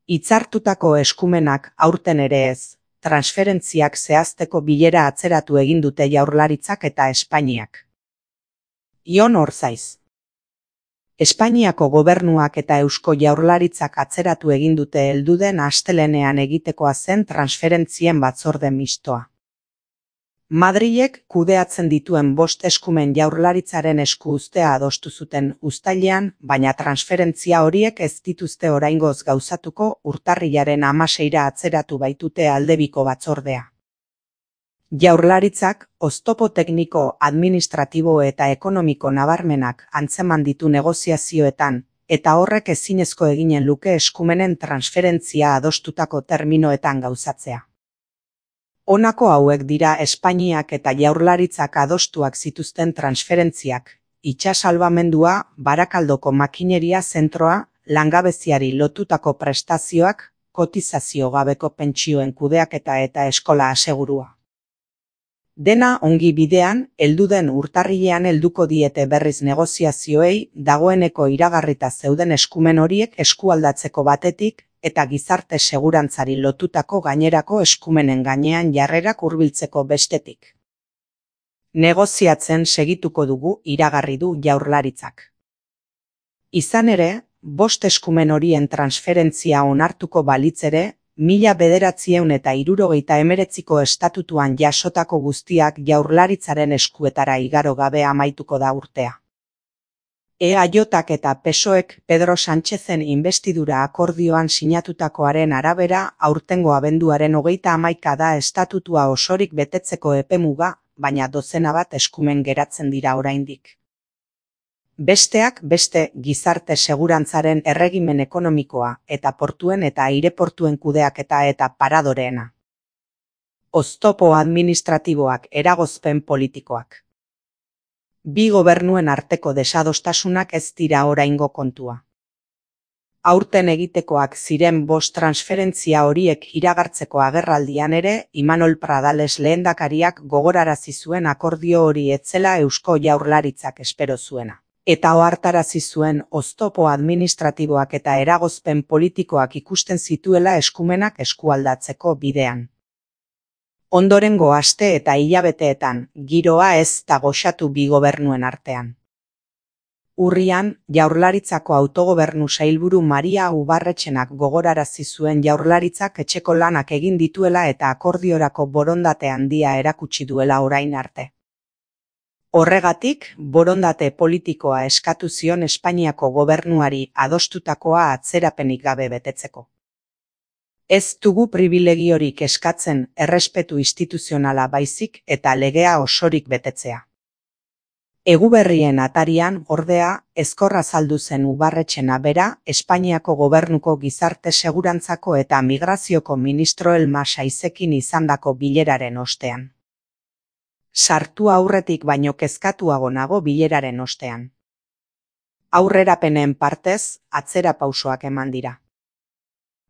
Hitzartutako eskumenak aurten ere ez, transferentziak zehazteko bilera atzeratu egin dute Jaurlaritzak eta Espainiak. Ion Orzaiz. Espainiako gobernuak eta Eusko Jaurlaritzak atzeratu egin dute helduden astelehenean egitekoa zen transferentzien batzorde mistoa. Madrilek kudeatzen dituen 5 eskumen Jaurlaritzaren esku uztea adostu zuten uztailean, baina transferentzia horiek ez dituzte oraingoz gauzatuko urtarrilaren 16ra atzeratu baitute aldebiko batzordea. Jaurlaritzak oztopo tekniko, administratibo eta ekonomiko nabarmenak antzeman ditu negoziazioetan, eta horrek ezinezko eginen luke eskumenen transferentzia adostutako terminoetan gauzatzea. Honako hauek dira Espainiak eta Jaurlaritzak adostuak zituzten transferentziak: itsasalbamendua, Barakaldoko makineria zentroa, langabeziari lotutako prestazioak, kotizazio gabeko pentsioen kudeaketa eta eskola asegurua. Dena ongi bidean, helduden urtarrilean helduko diete berriz negoziazioei dagoeneko iragarrita zeuden eskumen horiek eskualdatzeko batetik, eta gizarte segurantzari lotutako gainerako eskumenen gainean jarrerak hurbiltzeko bestetik. Negoziatzen segituko dugu, iragarri du Jaurlaritzak. Izan ere, 5 eskumen horien transferentzia onartuko balitz ere, 1979ko estatutuan jasotako guztiak Jaurlaritzaren eskuetara igaro gabe amaituko da urtea. EAJak eta PSOEk Pedro Sánchezen inbestidura akordioan sinatutakoaren arabera aurtengo abenduaren 31 da estatutua osorik betetzeko epemuga, baina dozena bat eskumen geratzen dira oraindik. Besteak beste gizarte segurantzaren erregimen ekonomikoa eta portuen eta aireportuen kudeaketa eta paradoreena. Oztopo administratiboak, eragozpen politikoak. Bi gobernuen arteko desadostasunak ez dira oraingo kontua. Aurten egitekoak ziren 5 transferentzia horiek iragartzeko agerraldian ere, Imanol Pradales lehendakariak gogorarazi zuen akordio hori ez zela Eusko Jaurlaritzak espero zuena. Eta ohartarazi zuen oztopo administratiboak eta eragozpen politikoak ikusten zituela eskumenak eskualdatzeko bidean. Ondorengo aste eta hilabeteetan, giroa ez da goxatu bi gobernuen artean. Urrian, Jaurlaritzako autogobernu sailburu Maria Ubarretxenak gogorarazi zuen Jaurlaritzak etxeko lanak egin dituela eta akordiorako borondate handia erakutsi duela orain arte. Horregatik, borondate politikoa eskatu zion Espainiako gobernuari adostutakoa atzerapenik gabe betetzeko. Ez dugu pribilegiorik eskatzen errespetu instituzionala baizik eta legea osorik betetzea. Eguberrien atarian, ordea, ezkorra azaldu zen Ubarretxena bera, Espainiako gobernuko gizarte segurantzako eta migrazioko ministro Elma Saizekin izandako bileraren ostean. Sartu aurretik baino kezkatuago nago bileraren ostean. Aurrerapenen partez, atzera pausoak eman dira.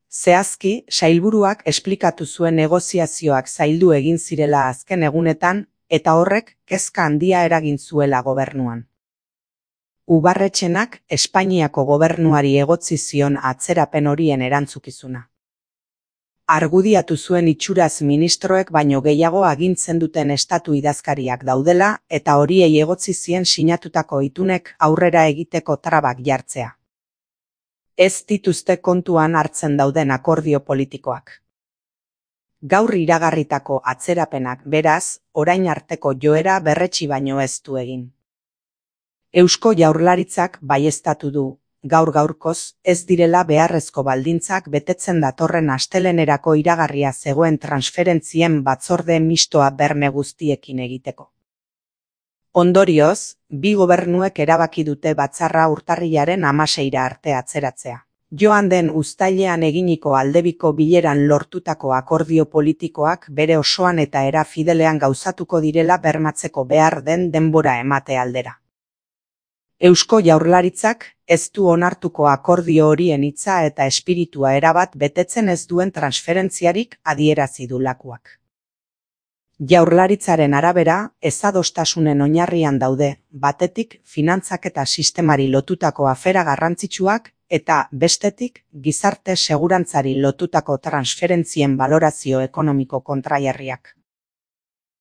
Zehazki, sailburuak esplikatu zuen negoziazioak zaildu egin zirela azken egunetan, eta horrek kezka handia eragin zuela gobernuan. Ubarretxenak Espainiako gobernuari egotzi zion atzerapen horien erantzukizuna. Argudiatu zuen itxuraz ministroek baino gehiago agintzen duten estatu idazkariak daudela eta horiei egotzi zien sinatutako itunek aurrera egiteko trabak jartzea. Ez dituzte kontuan hartzen dauden akordio politikoak. Gaur iragarritako atzerapenak beraz, orain arteko joera berretsi baino ez du egin. Eusko Jaurlaritzak baieztatu du, gaur-gaurkoz ez direla beharrezko baldintzak betetzen datorren astelehenerako iragarria zegoen transferentzien batzorde mistoa berme guztiekin egiteko. Ondorioz, bi gobernuek erabaki dute batzarra urtarrilaren 16ra arte atzeratzea. Joan den uztailean eginiko aldebiko bileran lortutako akordio politikoak bere osoan eta era fidelean gauzatuko direla bermatzeko behar den denbora emate aldera. Eusko Jaurlaritzak ez du onartuko akordio horien hitza eta espiritua erabat betetzen ez duen transferentziarik adierazi du lakuak. Jaurlaritzaren arabera, ezadostasunen oinarrian daude, batetik finantzaketa sistemari lotutako afera garrantzitsuak eta bestetik gizarte segurantzari lotutako transferentzien balorazio ekonomiko kontrajarriak.